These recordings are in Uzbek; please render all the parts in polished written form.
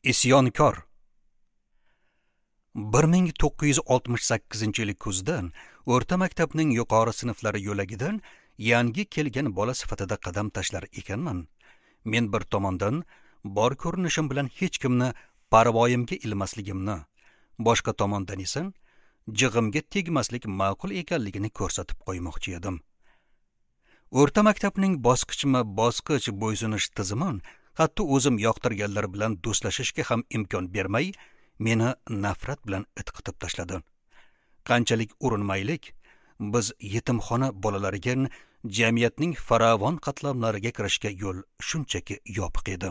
Isyonkor. 1968-yil kuzdan o'rta maktabning yuqori sinflari yo'lagidan yangi kelgan bola sifatida qadam tashlar ekanman. Men bir tomondan bor ko'rinishim bilan hech kimni parvoyimga ilmasligimni, boshqa tomondan esa jig'imga tegmaslik ma'qul ekanligini ko'rsatib qo'ymoqchi edim. O'rta maktabning bosqichma-bosqich bo'ysunish tizimi hatto o'zim yoqtirganlar bilan do'stlashishga ham imkon bermay, meni nafrat bilan itqitib tashladi. Qanchalik urinmaylik, biz yetimxona bolalariga jamiyatning farovon qatlamlariga kirishga yo'l shunchaki yopiq edi.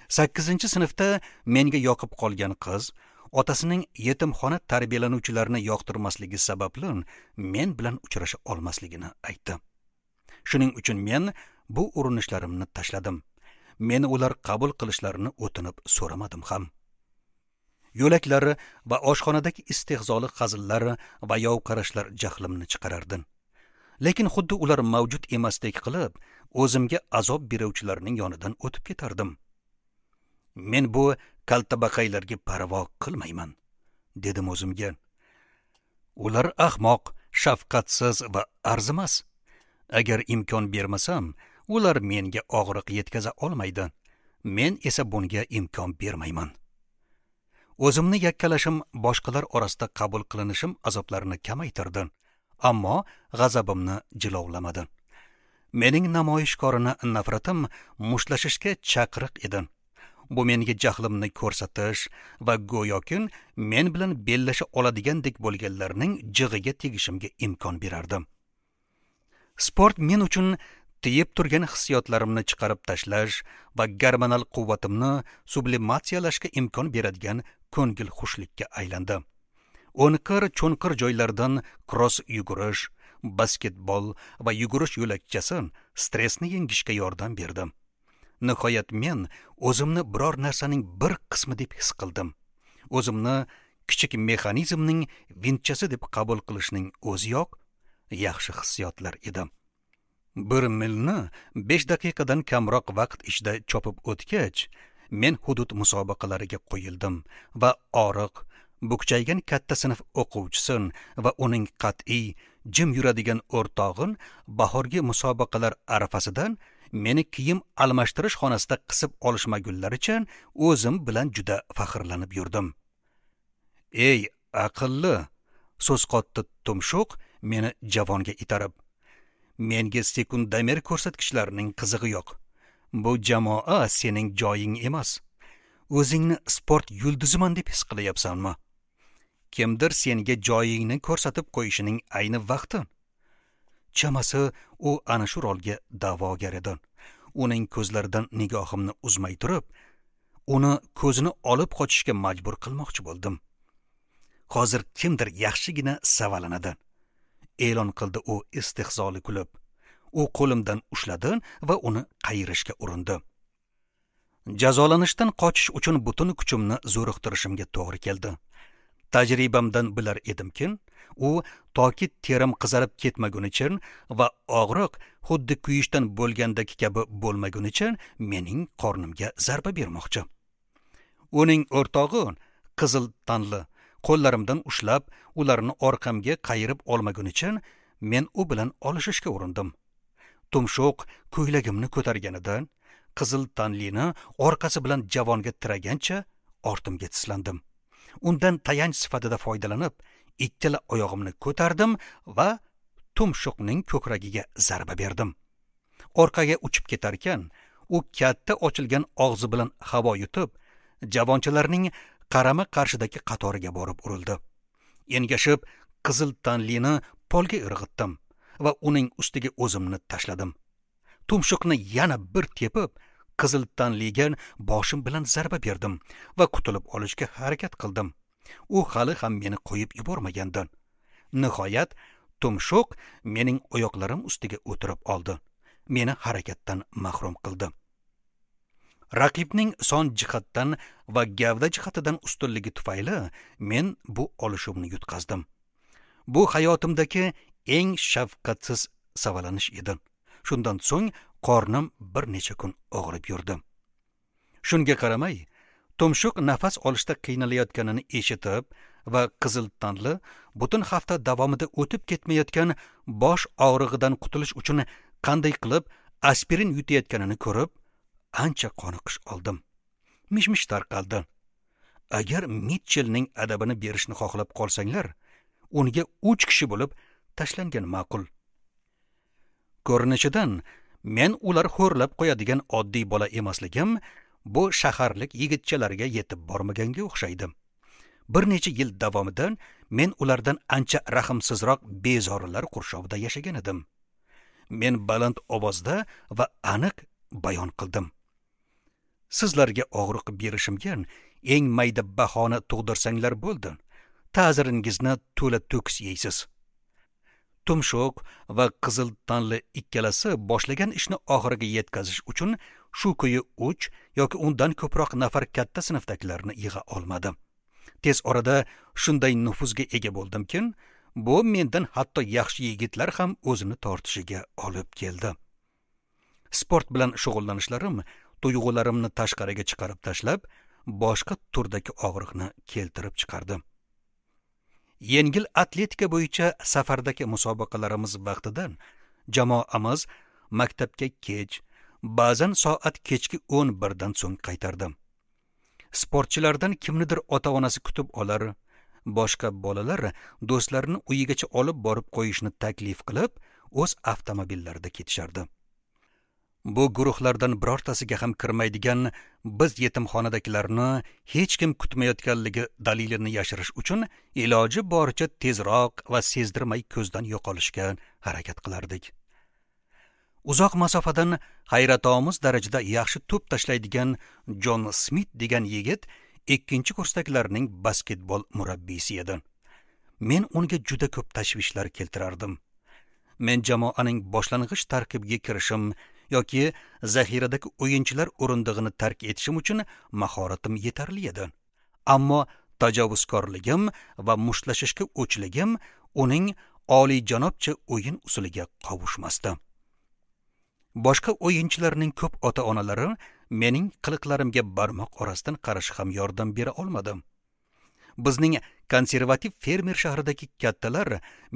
8-sinfda menga yoqib qolgan qiz otasining yetimxona tarbiyalanuvchilarini yoqtirmasligi sababli men bilan uchrasha olmasligini aytdi. Shuning uchun men bu urinishlarimni tashladim. Meni ular qabul qilishlarini o'tinib so'ramadim ham. Yo'laklar va oshxonadagi istehzoli hazillar va yov qarashlar jahlimni chiqarardi. Lekin xuddi ular mavjud emasdek qilib, o'zimga azob beruvchilarning yonidan o'tib ketardim. Men bu kaltabaqaylarga parvo qilmayman, dedim o'zimga. Ular ahmoq, shafqatsiz va arzimas. Agar imkon bermasam, ular menga og'riq yetkaza olmaydi. Men esa bunga imkon bermayman. O'zimni yakkalashim boshqalar orasida qabul qilinishim azoblarini kamaytirdi, ammo g'azabimni jilovlamadi. Mening namoyishkorona nafratim mushtlashishga chaqiriq edi. Bu menga jahlimni ko'rsatish va go'yoki men bilan bellasha oladigandek bo'lganlarning jig'iga tegishimga imkon berardi. Sport men uchun tiyib turgan hissiyotlarimni chiqarib tashlash va gormonal quvvatimni sublimatsiyalashga imkon beradigan ko'ngil xushlikka aylandi. O'nqir-cho'nqir joylardan kross yugurish, basketbol va yugurish yo'lakchasi stressni yengishga yordam berdi. Nihoyat men o'zimni biror narsaning bir qismi deb his qildim. O'zimni kichik mexanizmning vintchasi deb qabul qilishning o'ziyoq yaxshi hissiyotlar edi. 1 milni 5 daqiqadan kamroq vaqt ichida chopib o'tgach, men hudud musobaqalariga qo'yildim va oriq, bukchaygan katta sinf o'quvchisi va uning qat'iy, jim yuradigan o'rtog'in bahorgi musobaqalar arafasidan meni kiyim almashtirish xonasida qisib olishmagunlaricha o'zim bilan juda faxrlanib yurdim. Ey aqlli, so'z qotdi tumshuq meni javonga itarib. Menga sekundomer ko'rsatkichlarining qizig'i yo'q. Bu jamoa sening joying emas. O'zingni sport yulduziman deb his qilyapsanmi? Kimdir senga joyingni ko'rsatib qo'yishining ayni vaqti. Chamasi u ana shu rolga da'vogar edi. Uning ko'zlaridan nigohimni uzmay turib, uni ko'zini olib qochishga majbur qilmoqchi bo'ldim. Hozir kimdir yaxshigina savalanadi, e'lon qildi u istehzoli kulib. U qo'limdan ushladi va uni qayirishga urindi. Jazolanishdan qochish uchun butun kuchimni zo'riqtirishimga to'g'ri keldi. Tajribamdan bilar edimki, u toki terim qizarib ketmagunicha va og'riq xuddi kuyishdan bo'lgandagi kabi bo'lmagunicha mening qornimga zarba bermoqchi. Uning o'rtog'i qizil tanli qo'llarimdan ushlab, ularni orqamga qayirib olmagunicha men u bilan olishishga urindim. Tumshuq ko'ylagimni ko'targanida qizil tanlini orqasi bilan javonga tiragancha ortimga tislandim. Undan tayanch sifatida foydalanib, ikkala oyog'imni ko'tardim va tumshuqning ko'kragiga zarba berdim. Orqaga uchib ketarkan, u katta ochilgan og'zi bilan havo yutib, javonchalarning qarama-qarshidagi qatoriga borib urildi. Engashib, qizil tanlini polga irg'itdim va uning ustiga o'zimni tashladim. Tumshuqni yana bir tepib, qizil tanliga boshim bilan zarba berdim va qutulib olishga harakat qildim. U hali ham meni qo'yib yubormagandan. Nihoyat tumshuq mening oyoqlarim ustiga o'tirib oldi. Meni harakatdan mahrum qildi. Raqibning son jihatdan va gavda jihatidan ustunligi tufayli men bu olishuvni yutqazdim. Bu hayotimdagi eng shafqatsiz savalanish edi. Shundan so'ng qornim bir necha kun og'rib yurdi. Shunga qaramay, Tumshuq nafas olishda qiynalayotganini eshitib va qizil tanli butun hafta davomida o'tib ketmayotgan bosh og'rig'idan qutulish uchun qanday qilib aspirin yutayotganini ko'rib ancha qoniqish oldim. Mish-mish tarqaldi. Agar Mitchellning adabini berishni xohlab qolsanglar, unga 3 kishi bo'lib tashlangan ma'qul. Ko'rinishidan men ular xo'rlab qo'yadigan oddiy bola emasligim bu shaharlik yigitchalarga yetib bormaganga o'xshaydi. Bir necha yil davomida men ulardan ancha rahmsizroq bezorilar qurshovida yashagan edim. Men baland ovozda va aniq bayon qildim. Sizlarga og'riq berishimga eng mayda bahona tug'dirsanglar bo'ldi. Ta'ziringizni to'la to'kis yeysiz. Tumshuq va qizil tanli ikkalasi boshlagan ishni oxiriga yetkazish uchun shu ko'yi 3 yoki undan ko'proq nafar katta sinfdagilarni yig'a olmadi. Tez orada shunday nufuzga ega bo'ldimki, bu mendan hatto yaxshi yigitlar ham o'zini tortishiga olib keldi. Sport bilan shug'ullanishlarim tuyg'ularimni tashqariga chiqarib tashlab, boshqa turdagi og'riqni keltirib chiqardi. Yengil atletika bo'yicha safardagi musobaqalarimiz vaqtida jamoamiz maktabga kech, ba'zan soat kechki 11 dan so'ng qaytardi. Sportchilardan kimnidir ota-onasi kutib olar, boshqa bolalar do'stlarini uyigacha olib borib qo'yishni taklif qilib, o'z avtomobillarida ketishardi. Bu guruhlardan birortasiga ham kirmaydigan biz yetimxonadagilarni hech kim kutmayotganligi dalilini yashirish uchun iloji boricha tezroq va sezdirmay ko'zdan yo'qolishga harakat qilardik. Uzoq masofadan hayratomuz darajada yaxshi to'p tashlaydigan Jon Smit degan yigit 2 kursdagilarning basketbol murabbiysi edi. Men unga juda ko'p tashvishlar keltirardim. Men jamoaning boshlang'ich tarkibiga kirishim yoki zaxiradagi o'yinchilar o'rindig'ini tark etishim uchun mahoratim yetarli edi. Ammo tajovuzkorligim va mushtlashishga o'chligim uning oliyjanobcha o'yin usuliga qovushmasdi. Boshqa o'yinchilarning ko'p ota-onalari mening qiliqlarimga barmoq orasidan qarash ham yordam bera olmadi. Bizning konservativ fermer shahridagi kattalar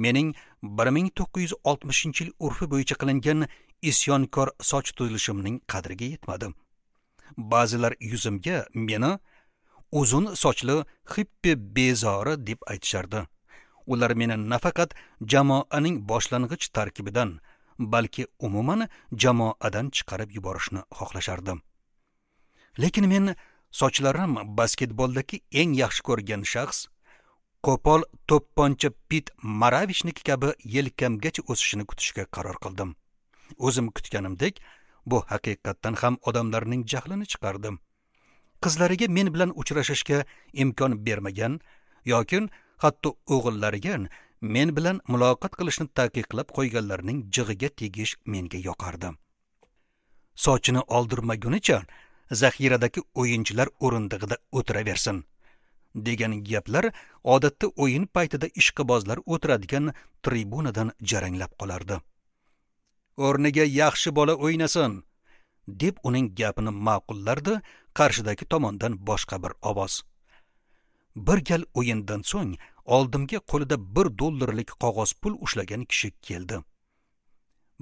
mening 1960-yil urfi bo'yicha qilingan isyonkor soch tuzilishimning qadriga yetmadi. Ba'zilar yuzimga meni uzun sochli xippi bezori deb aytishardi. Ular meni nafaqat jamoaning boshlang'ich tarkibidan, balki umuman jamoadan chiqarib yuborishni xohlashardi. Lekin men sochlarim basketboldagi eng yaxshi ko'rgan shaxs qo'pol to'pponcha Pit Maravishniki kabi yelkamgacha o'sishini kutishga qaror qildim. O'zim kutganimdek, bu haqiqatdan ham odamlarning jahlini chiqardi. Qizlariga men bilan uchrashishga imkon bermagan yoki hatto o'g'illariga men bilan muloqot qilishni taqiqlab qo'yganlarning jig'iga tegish menga yoqardi. Sochini oldirmagunicha zaxiradagi o'yinchilar o'rindig'ida o'tiraversin degan gaplar odatda o'yin paytida ishqibozlar o'tiradigan tribunadan jaranglab qolardi. O'rniga yaxshi bola o'ynasin deb uning gapini ma'qullardi qarshidagi tomondan boshqa bir ovoz. Bir gal o'yindan so'ng oldimga qo'lida $1 qog'oz pul ushlagan kishi keldi.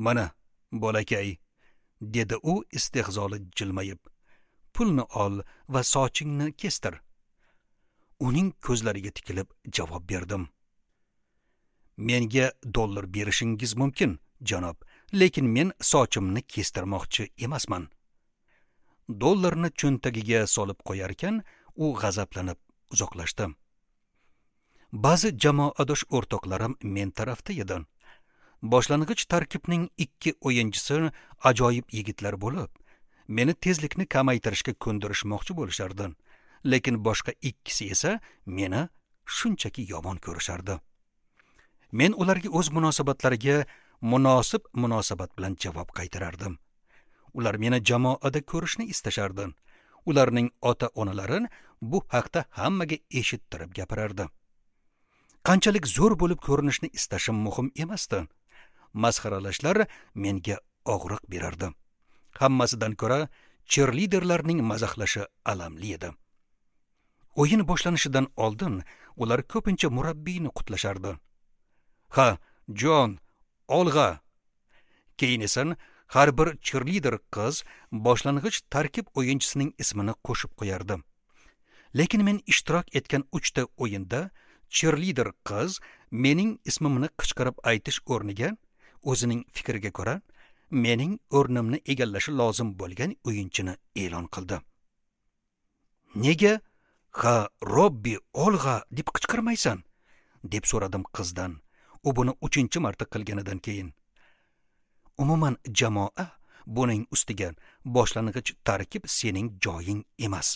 Mana, bolakay, dedi u istehzoli jilmayib. Pulni ol va sochingni kestir. Uning ko'zlariga tikilib javob berdim. Menga dollar berishingiz mumkin, janob, lekin men sochimni kestirmoqchi emasman. Dollarni cho'ntagiga solib qo'yarkan, u g'azablanib uzoqlashdi. Ba'zi jamoadosh o'rtoqlarim men tarafda edi. Boshlang'ich tarkibning 2 o'yinchisi ajoyib yigitlar bo'lib, meni tezlikni kamaytirishga ko'ndirishmoqchi bo'lishardi. Lekin boshqa ikkisi esa meni shunchaki yomon ko'rishardi. Men ularga o'z munosabatlariga munosib munosabat bilan javob qaytarardim. Ular meni jamoada ko'rishni istashardi. Ularning ota-onalari bu haqda hammaga eshittirib gapirardi. Qanchalik zo'r bo'lib ko'rinishni istashim muhim emasdi. Masxaralashlar menga og'riq berardi. Hammasidan ko'ra cheerleaderlarning mazaxlashi alamli edi. O'yin boshlanishidan oldin ular ko'pincha murabbiyni qutlashardi. "Ha, Jon, olg'a!" Keyin esa har bir cheerleader qiz boshlang'ich tarkib o'yinchisining ismini qo'shib qo'yardi. Lekin men ishtirok etgan 3 ta o'yinda cheerleader qiz mening ismimni qichqirib aytish o'rniga o'zining fikriga ko'ra mening o'rnimni egallashi lozim bo'lgan o'yinchini e'lon qildi. "Nega ha, Robbi, olg'a deb qichqirmaysan?" deb so'radim qizdan. U buni 3-marta qilganidan keyin. Umuman jamoa buning ustiga boshlang'ich tarkib sening joying emas.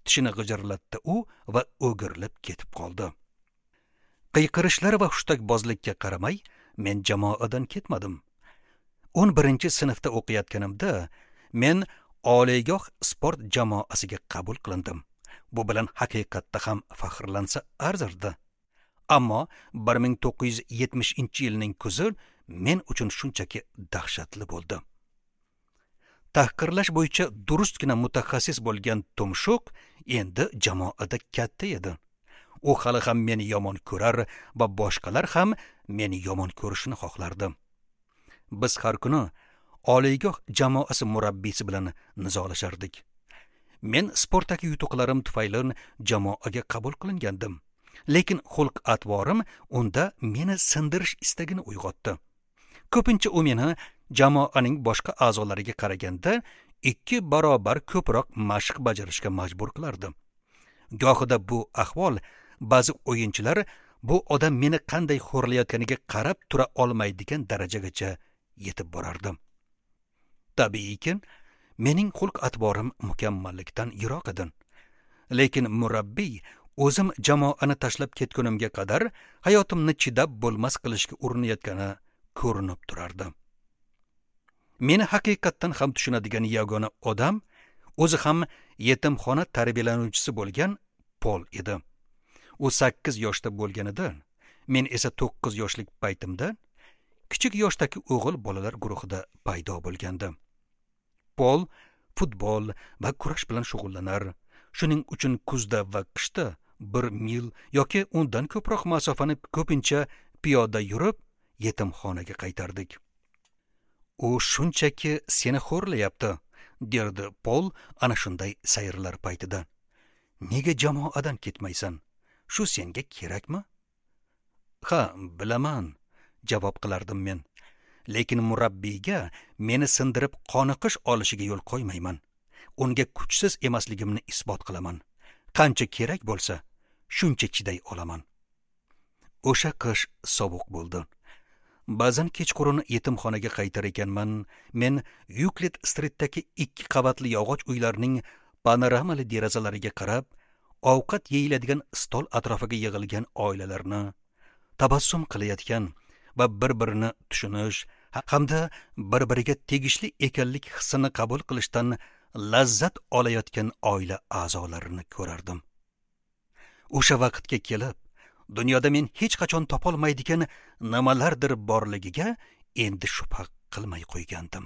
Tishini g'ijirlatdi u va o'girilib ketib qoldi. Qiyqirishlar va hushtakbozlikka qaramay, men jamoadan ketmadim. 11-sinfda o'qiyotganimda men oliygoh sport jamoasiga qabul qilindim. Bu bilan haqiqatda ham faxrlansa arzirdi. Ammo 1970-yilning kuzi men uchun shunchaki dahshatli bo'ldi. Tahqirlash bo'yicha durustgina mutaxassis bo'lgan tumshuq endi jamoada katta edi. U hali ham meni yomon ko'rar va boshqalar ham meni yomon ko'rishini xohlardi. Biz har kuni oliygoh jamoasi murabbiysi bilan nizolashardik. Men sportdagi yutuqlarim tufayli jamoaga qabul qilingandim. Lekin xulq-atvorim unda meni sindirish istagini uyg'otdi. Ko'pincha u meni jamoaning boshqa a'zolariga qaraganda 2 barobar ko'proq mashq bajarishga majbur qilardi. Gohida bu ahvol ba'zi o'yinchilar bu odam meni qanday xo'rlayotganiga qarab tura olmaydigan darajagacha yetib borardi. Tabiiyki, mening xulq-atvorim mukammallikdan yiroq edi. Lekin murabbiy o'zim jamoani tashlab ketgunimga qadar hayotimni chidab bo'lmas qilishga urinayotgani ko'rinib turardi. Meni haqiqatdan ham tushunadigan yagona odam o'zi ham yetimxona tarbiyalanuvchisi bo'lgan Pol edi. U 8 yoshda bo'lganida, men esa 9 yoshlik paytimda kichik yoshdagi o'g'il bolalar guruhida paydo bo'lgandim. Pol futbol va kurash bilan shug'ullanar. Shuning uchun kuzda va qishda 1 mil yoki undan ko'proq masofani ko'pincha piyoda yurib yetimxonaga qaytardik. "U shunchaki seni xo'rlayapti", derdi Pol ana shunday sayrlar paytida. "Nega jamoadan ketmaysan? Shu senga kerakmi?" "Ha, bilaman", javob qilardim men. "Lekin murabbiyga meni sindirib qoniqish olishiga yo'l qo'ymayman. Unga kuchsiz emasligimni isbot qilaman. Qancha kerak bo'lsa, shuncha chiday olaman." O'sha qish sovuq bo'ldi. Ba'zan kechqurun yetimxonaga qaytar ekanman, men Yuklid Streetdagi 2 qavatli yog'och uylarning panoramali derazalariga qarab, ovqat yeyiladigan stol atrofiga yig'ilgan oilalarni, tabassum qilayotgan va bir-birini tushunish hamda bir-biriga tegishli ekanlik hissini qabul qilishdan lazzat olayotgan oila a'zolarini ko'rardim. O'sha vaqtga kelib, dunyoda men hech qachon topolmaydigan nimalardir borligiga endi shubha qilmay qo'ygandim.